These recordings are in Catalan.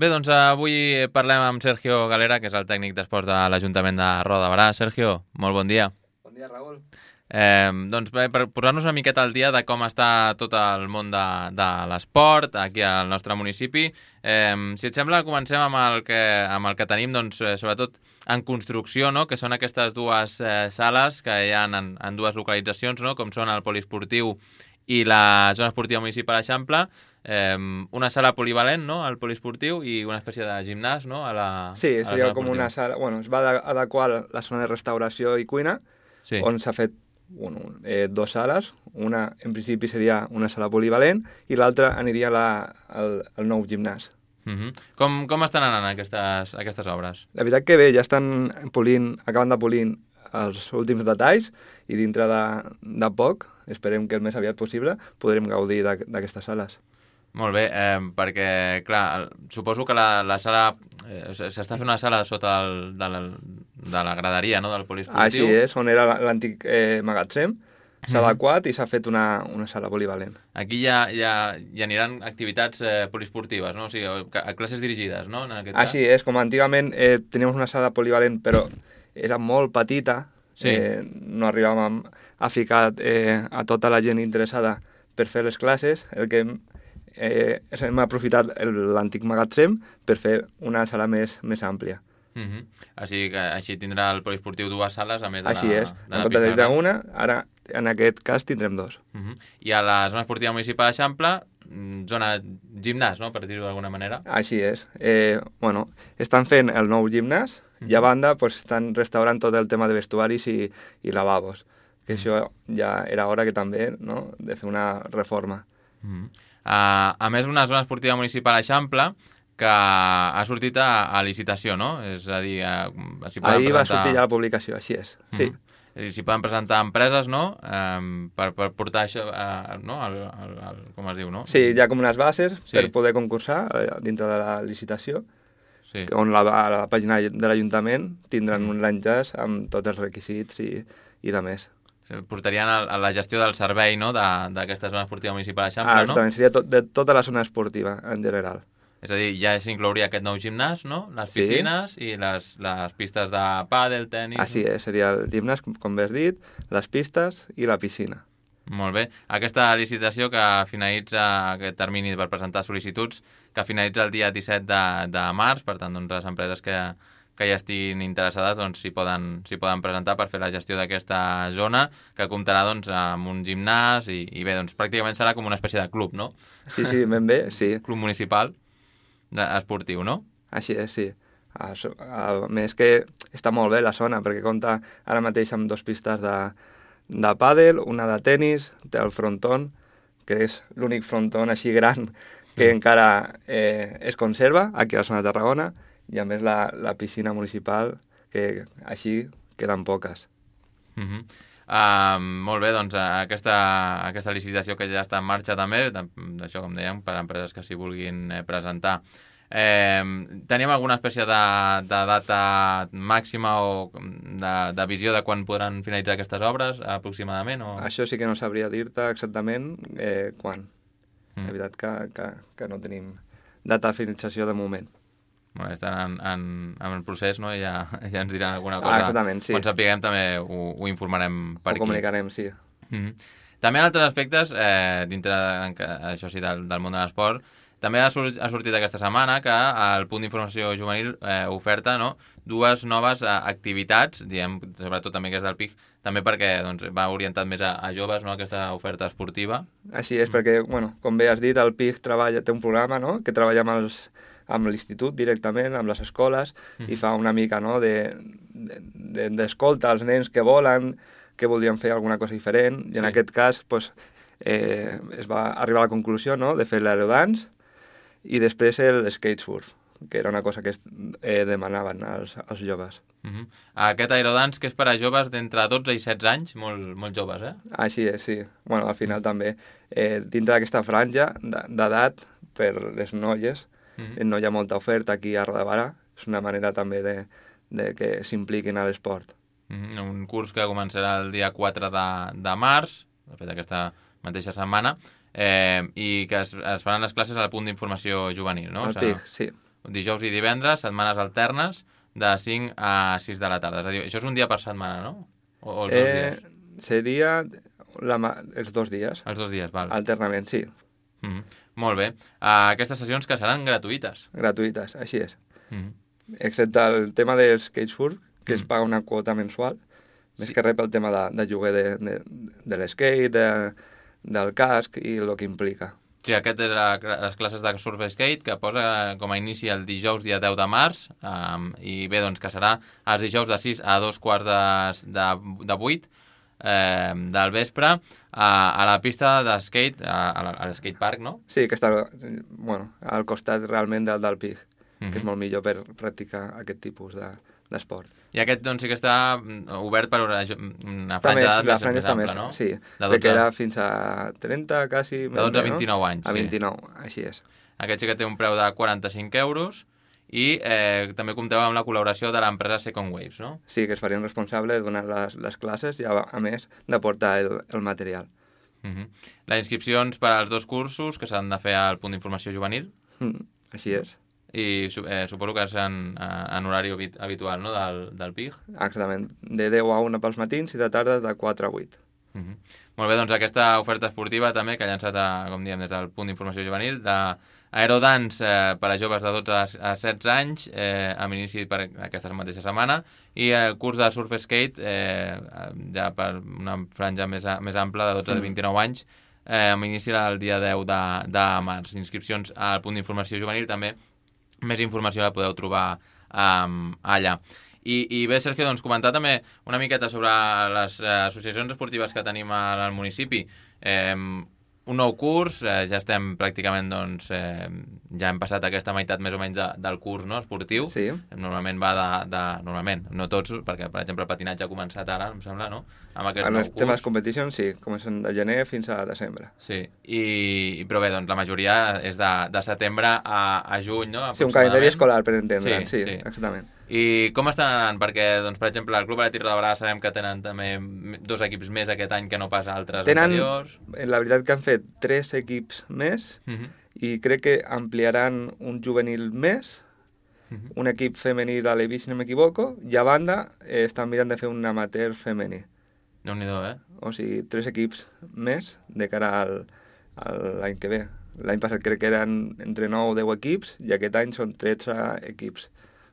Bé, doncs avui parlem amb Sergio Galera, que és el tècnic d'esports de l'Ajuntament de Roda de Berà. Sergio, molt bon dia. Bon dia, Raül. Doncs bé, per posar-nos una miqueta al dia de com està tot el món de l'esport aquí al nostre municipi, si et sembla, comencem amb el que tenim, doncs, sobretot en construcció, no? Que són aquestes dues sales que hi ha en dues localitzacions, no? Com són el poliesportiu i la zona esportiva municipal Eixample, una sala polivalent, no?, al poliesportiu, i una espècie de gimnàs, no?, Sí, a la seria zona com esportiva. una sala... Bueno, es va adequar la zona de restauració i cuina, Sí. on s'ha fet dues sales. Una, en principi, seria una sala polivalent i l'altra aniria al nou gimnàs. Com estan anant aquestes obres? La veritat que bé, ja estan acabant de polir els últims detalls i dintre de poc, esperem que el més aviat possible, podrem gaudir d'aquestes sales. Molt bé, perquè, clar, suposo que la sala... s'està fent una sala sota de la graderia, no?, del poliesportiu. Així és, on era l'antic magatzem, s'ha adequat i s'ha fet una sala polivalent. Aquí ja aniran activitats poliesportives, no? O sigui, classes dirigides, no?, en aquest cas. Així és, com antigament teníem una sala polivalent, però era molt petita, Sí. No arribàvem a ficar a tota la gent interessada per fer les classes, el que hem aprofitat l'antic magatzem per fer una sala més àmplia. Així tindrà el poliesportiu dues sales, a més de Així és, de en la comptes pista de gran. una, ara en aquest cas tindrem dos. I a la zona esportiva municipal Eixample, zona gimnàs, no?, per dir-ho d'alguna manera. Així és. Bueno, estan fent el nou gimnàs i a banda pues, estan restaurant tot el tema de vestuaris i lavabos, que això ja era hora que també, no?, de fer una reforma. A més, una zona esportiva municipal Eixample que ha sortit a licitació, no? És a dir, s'hi poden Ahir va presentar... sortir ja la publicació, així és. Sí. S'hi poden presentar empreses, no?, per portar això, no?, com es diu, no? Sí, hi ha com unes bases Sí. per poder concursar dintre de la licitació, Sí. on a la pàgina de l'Ajuntament tindran un l'enllaç amb tots els requisits i de més. Portarien a la gestió del servei, no?, d'aquesta zona esportiva municipal Eixample, no? Exactament, seria de tota la zona esportiva en general. És a dir, ja s'inclouria aquest nou gimnàs, no?, les Sí. piscines i les pistes de pàdel, tenis... Així és, seria el gimnàs, com bé has dit, les pistes i la piscina. Molt bé. Aquesta licitació que finalitza aquest termini per presentar sol·licituds, que finalitza el dia 17 de març, per tant, doncs, les empreses que ja estiguin interessades doncs, s'hi poden presentar per fer la gestió d'aquesta zona, que comptarà doncs, amb un gimnàs i bé, doncs, pràcticament serà com una espècie de club, no? Sí, ben bé, sí. Club municipal esportiu, no? Així és, sí. A més que està molt bé la zona, perquè compta ara mateix amb dues pistes de pàdel, una de tennis, té el fronton, que és l'únic fronton així gran que encara es conserva aquí a la zona de Tarragona, i a més la piscina municipal, que així queden poques. Molt bé, doncs aquesta licitació que ja està en marxa també, d'això com dèiem, per a empreses que s'hi vulguin presentar. Tenim alguna espècie de data màxima o de visió de quan podran finalitzar aquestes obres, aproximadament? O... Això sí que no sabria dir-te exactament quan. La veritat que no tenim data de finalització de moment. Bueno, estan en el procés, no? I ja ens diran alguna cosa. Exactament, sí. Quan sapiguem també ho informarem per aquí. Ho comunicarem, sí. També en altres aspectes, dintre, això sí, del món de l'esport, també ha sortit aquesta setmana que el punt d'informació juvenil oferta, no?, dues noves activitats, diem, sobretot també que és del PIC, també perquè doncs, va orientat més a joves, no?, aquesta oferta esportiva. Així és, perquè, bueno, com bé has dit, el PIC té un programa, no?, que treballa amb l'institut directament, amb les escoles, i fa una mica, no?, d'escolta als nens que volen, que voldrien fer alguna cosa diferent, i en aquest cas pues, es va arribar a la conclusió, no?, de fer l'aerodance i després el skatesurf, que era una cosa que demanaven els joves. Aquest aerodance que és per a joves d'entre 12 i 16 anys, molt joves, eh? Així és, sí. Bueno, al final també, dintre d'aquesta franja d'edat per les noies, no hi ha molta oferta aquí a Roda de Berà, és una manera també de que s'impliquin a l'esport. Un curs que començarà el dia 4 de març, de fet aquesta mateixa setmana, i que es faran les classes al punt d'informació juvenil, no? Al PIC, sí. dijous i divendres, setmanes alternes, de 5 a 6 de la tarda. És a dir, això és un dia per setmana, no? O els 2 dies? Seria els 2 dies. Els 2 dies, val. Alternament, sí. Molt bé. Aquestes sessions que seran gratuïtes. Gratuïtes, així és. Excepte el tema del skatesurf, que es paga una quota mensual, més que res pel tema de lloguer de l'skate, del casc i el que implica. Sí, aquest és les classes de surf skate que posa com a inici el dijous dia 10 de març i bé, doncs que serà els dijous de 6 a 2:15 de 8 del vespre a la pista de skate, a l'skatepark, no? Sí, que està al costat realment del PIG, que és molt millor per practicar aquest tipus d'esport. I aquest doncs sí que està obert per una franja d'edat més ampla, no? Sí, que era fins a 30, quasi... De 12 a 29 anys, sí. A 29, així és. Aquest sí que té un preu de 45 euros i també compteu amb la col·laboració de l'empresa Second Waves, no? Sí, que es farien responsable de donar les classes i, a més, d'aportar el material. Les inscripcions per als 2 cursos que s'han de fer al punt d'informació juvenil? Així és. I suposo que és en horari habitual, no?, del PIG? Exactament, de 10 a 1 pels matins i de tarda de 4 a 8. Molt bé, doncs aquesta oferta esportiva també que ha llançat, com diem, des del punt d'informació juvenil, d'Aerodance per a joves de 12 a 16 anys, amb inici per aquesta mateixa setmana, i el curs de surf skate, ja per una franja més ampla de 12 a 29 anys, amb inici el dia 10 de març. Inscripcions al punt d'informació juvenil també. Més informació la podeu trobar allà. I bé, Sergio, doncs comentar també una miqueta sobre les associacions esportives que tenim al municipi. Un nou curs, ja estem pràcticament, doncs, ja hem passat aquesta meitat més o menys del curs, no?, esportiu. Sí. Normalment va normalment, no tots, perquè, per exemple, el patinatge ha començat ara, em sembla, no?, amb aquest nou nou curs. Els temes competition, sí, comencen de gener fins a desembre. Sí, però bé, doncs la majoria és de setembre a juny, no?, sí, un calendari escolar, per entendre'n, sí, exactament. I com estan anant? Perquè, doncs, per exemple, el Club Atlètic Roda sabem que tenen també 2 equips més aquest any que no pas altres anteriors. La veritat que han fet 3 equips més i crec que ampliaran un juvenil més, un equip femení de l'Evi, si no m'equivoco, i a banda estan mirant de fer un amateur femení. Déu-n'hi-do, O sigui, 3 equips més de cara a l'any que ve. L'any passat crec que eren entre 9 o 10 equips i aquest any són 13 equips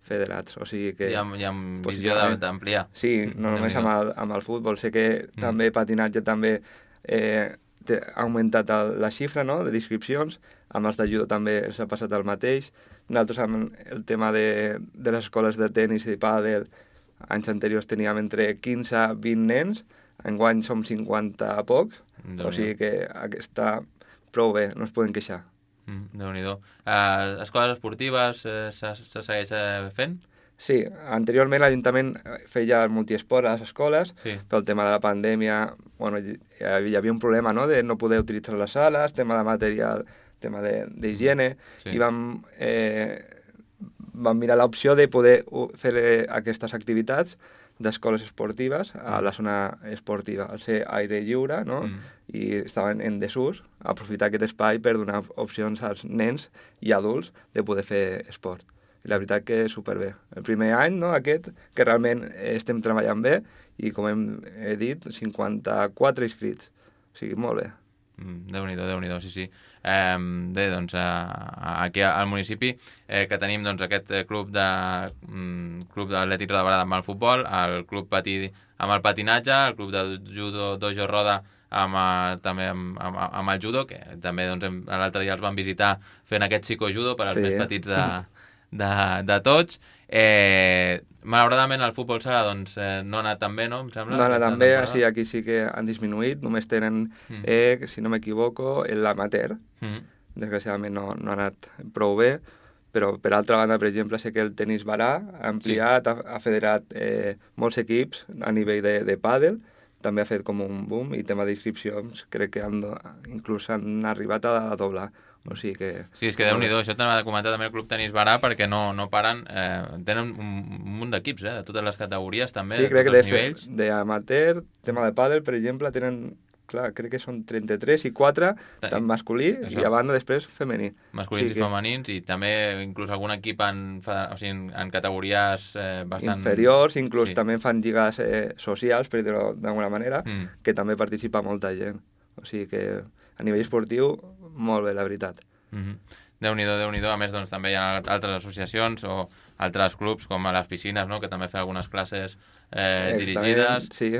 federats, o sigui que... I amb visió d'ampliar. Sí, no només amb el futbol. Sé que també patinatge també ha augmentat la xifra, no?, de inscripcions. Amb els de judo també s'ha passat el mateix. Nosaltres amb el tema de les escoles de tenis i de pàdel, anys anteriors teníem entre 15 a 20 nens, enguany som 50 a pocs, o sigui que està prou bé, no es poden queixar. Déu-n'hi-do. Escoles esportives se segueix fent? Sí, anteriorment l'Ajuntament feia multiesport a les escoles, pel tema de la pandèmia, hi havia un problema, no?, de no poder utilitzar les sales, tema de material, tema d'higiene, i vam mirar l'opció de poder fer aquestes activitats d'escoles esportives a la zona esportiva, al ser aire lliure, no?, i estaven en desús, aprofitar aquest espai per donar opcions als nens i adults de poder fer esport. I la veritat que superbé. El primer any, no?, aquest, que realment estem treballant bé, i com he dit, 54 inscrits. O sigui, molt bé. Déu-n'hi-do, sí. Bé, doncs, aquí al municipi que tenim doncs, aquest club d'Atlètic Roda Barada amb el futbol, el club patí amb el patinatge, el club de judo Dojo Roda també amb el judo, que també doncs, l'altre dia els vam visitar fent aquest psicojudo per als més petits de tots. Malauradament el futbol sala doncs, no ha anat tan bé, no? Em sembla, no ha anat tan bé, aquí sí que han disminuït, només tenen, si no m'equivoco, l'amateur. Desgraciadament no ha anat prou bé, però per altra banda, per exemple, sé que el tenis barà ha ampliat, ha federat molts equips a nivell de pàdel, també ha fet com un boom, i tema d'inscripcions crec que inclús han arribat a doblar. O sigui que... Sí, és que Déu-n'hi-do, això t'ha de comentar també el Club Tenis Barà, perquè no paren, tenen un munt d'equips, de totes les categories també, sí, de tots els nivells. Sí, crec que d'amateur, tema de pàdel, per exemple, tenen clar, crec que són 33 i 4 tant masculí i a banda després femení. Masculins i femenins, i també inclús algun equip en categories bastant... inferiors, inclús també fan lligues socials, per dir-ho d'alguna manera, que també participa molta gent. O sigui que a nivell esportiu, molt bé, la veritat. Déu-n'hi-do, Déu-n'hi-do. A més, doncs, també hi ha altres associacions o altres clubs, com a les piscines, no?, que també fan algunes classes dirigides, sí.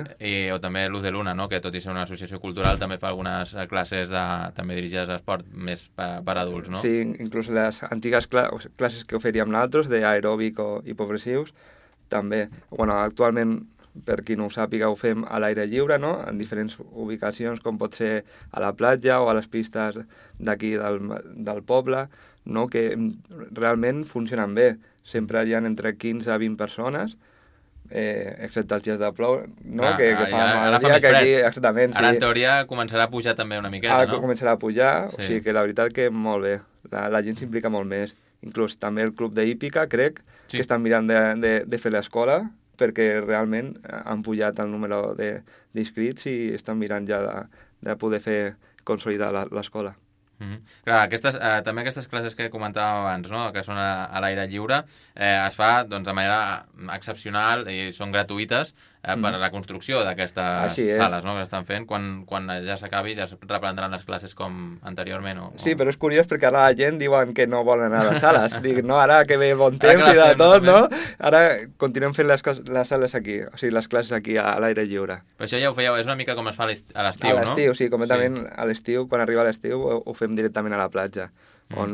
O també Luz de Luna, no?, que tot i ser una associació cultural també fa algunes classes també dirigides a esport més per adults, no? Sí, inclús les antigues classes que oferíem nosaltres d'aeròbic i progressius, també. Bueno, actualment, per qui no ho sàpiga, ho fem a l'aire lliure, no?, en diferents ubicacions, com pot ser a la platja o a les pistes d'aquí del poble, no?, que realment funcionen bé. Sempre hi ha entre 15 a 20 persones, excepte els dies de plou, no? Que fa mal dia, que aquí, exactament, sí. Ara, en teoria, començarà a pujar també una miqueta, no? Ara començarà a pujar, sí. O sigui que la veritat que molt bé. La gent s'implica molt més. Inclús també el club d'hípica, crec, sí, que estan mirant de fer l'escola, perquè realment han pujat el número d'inscrits i estan mirant ja de poder consolidar l'escola. Clar, també aquestes classes que comentàvem abans, no?, que són a l'aire lliure, es fa doncs, de manera excepcional i són gratuïtes per a la construcció d'aquestes sales, no?, que estan fent. Quan ja s'acabi ja es reprendran les classes com anteriorment. Sí, però és curiós perquè ara la gent diuen que no volen anar a les sales. Dic, no, ara que ve bon temps i de tot, no? Ara continuem fent les sales aquí, o sigui, les classes aquí a l'aire lliure. Però això ja ho fèieu, és una mica com es fa a l'estiu, no? A l'estiu, sí, completament a l'estiu, quan arriba l'estiu ho fem directament a la platja, on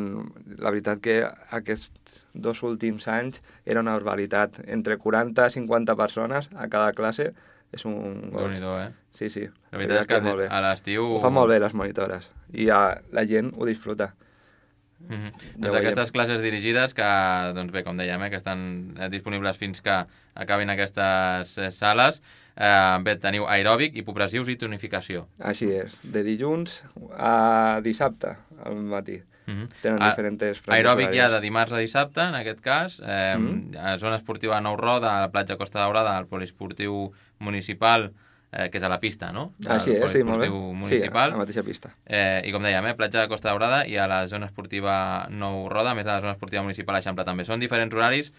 la veritat que aquests 2 últims anys era una barbaritat. Entre 40 i 50 persones a cada classe és un goig. Déu-n'hi-do, Sí, sí. La veritat és que a l'estiu... Ho fan molt bé les monitores i la gent ho disfruta. Doncs aquestes classes dirigides que, doncs bé, com dèiem, que estan disponibles fins que acabin aquestes sales. Bé, teniu aeròbic, hipopressius i tonificació. Així és, de dilluns a dissabte al matí. Tenen diferents franges aeròbic ja de dimarts a dissabte, en aquest cas. A zona esportiva Nou Roda, a la platja Costa Daurada, al poliesportiu municipal, que és a la pista, no? Així és, sí, molt bé. Municipal. Sí, a la mateixa pista. I com dèiem, platja de Costa Daurada i a la zona esportiva Nou Roda, a més a la zona esportiva municipal Eixample també. Són diferents horaris.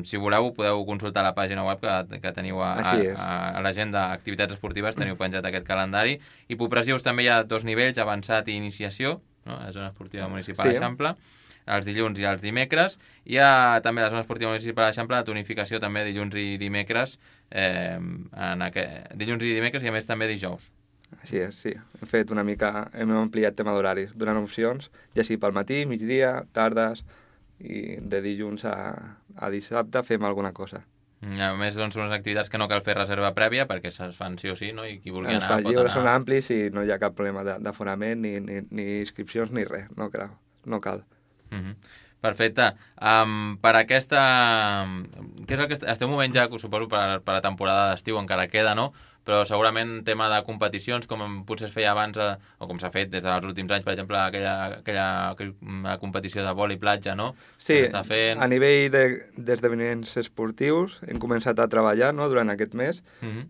Si voleu, podeu consultar la pàgina web que teniu a l'agenda d'activitats esportives, teniu penjat aquest calendari. Hipopressius també hi ha 2 nivells, avançat i iniciació, no? A la zona esportiva municipal Eixample, els dilluns i els dimecres. Hi ha també a la zona esportiva municipal Eixample la tonificació també dilluns i dimecres, dilluns i dimecres i a més també dijous. Així és, sí. Hem fet una mica, hem ampliat tema d'horaris, donant opcions, ja sigui pel matí, migdia, tardes, i de dilluns a dissabte fem alguna cosa. A més, doncs, són unes activitats que no cal fer reserva prèvia perquè es fan sí o sí, no? I qui vulgui anar pot anar. Els lliures són amplis i no hi ha cap problema d'aforament, ni inscripcions, ni res, no cal. Perfecte. Per aquesta... Què és el que esteu movent ja, suposo, per la temporada d'estiu, encara queda, no? Però segurament tema de competicions, com potser es feia abans, o com s'ha fet des dels últims anys, per exemple, aquella competició de vòlei platja, no? Sí, a nivell d'esdeveniments esportius hem començat a treballar, no?, durant aquest mes,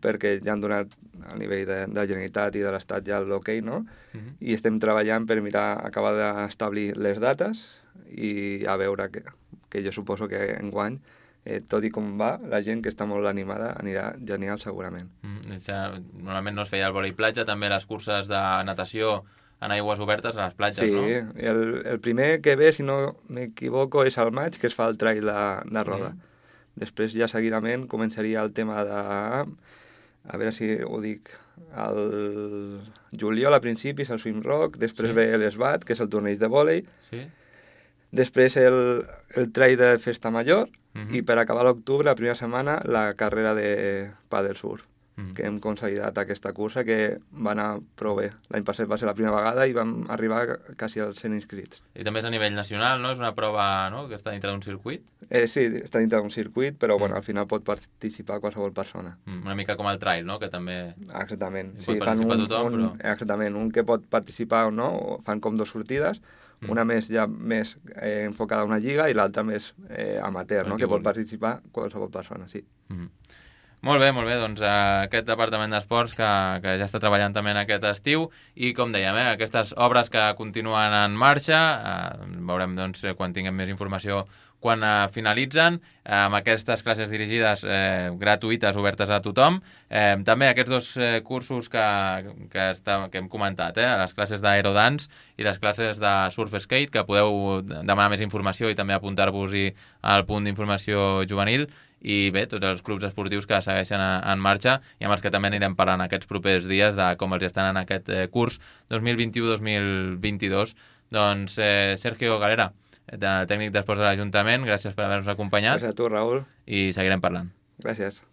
perquè ja han donat a nivell de la Generalitat i de l'Estat ja l'hoquei, no? I estem treballant per acabar d'establir les dates i a veure que jo suposo que enguany, tot i com va, la gent que està molt animada anirà genial segurament. Normalment no es feia el vòlei platja, també les curses de natació en aigües obertes a les platges, no? Sí, el primer que ve, si no m'equivoco, és al maig, que es fa el trail de roda. Després ja seguidament començaria el tema de... A veure si ho dic... El juliol a principis el swim rock, després ve l'ESBAT, que és el torneig de vòlei, després el trail de festa major, i per acabar l'octubre, la primera setmana, la carrera de pàdel surf, que hem consolidat aquesta cursa que va anar prou bé. L'any passat va ser la primera vegada i vam arribar quasi als 100 inscrits. I també és a nivell nacional, no? És una prova, no?, que està dintre d'un circuit? Sí, està dintre d'un circuit, però bueno, al final pot participar qualsevol persona. Una mica com el trail, no?, que també... Exactament. Pot participar tothom, però... Exactament, un que pot participar o no, fan com 2 sortides, una més enfocada a una lliga i l'altra més amateur, no?, que pot participar qualsevol persona, sí. Molt bé, doncs aquest departament d'esports que ja està treballant també en aquest estiu i com dèiem, aquestes obres que continuen en marxa, veurem doncs, quan tinguem més informació quan finalitzen, amb aquestes classes dirigides gratuïtes, obertes a tothom. També aquests dos cursos que hem comentat, les classes d'aerodance i les classes de surf skate, que podeu demanar més informació i també apuntar-vos-hi al punt d'informació juvenil. I bé, tots els clubs esportius que segueixen en marxa i amb els que també anirem parlant aquests propers dies de com els estan en aquest curs 2021-2022. Doncs Sergio Galera, tècnic d'esports de l'Ajuntament, gràcies per haver-nos acompanyat. Gràcies a tu, Raül. I seguirem parlant. Gràcies.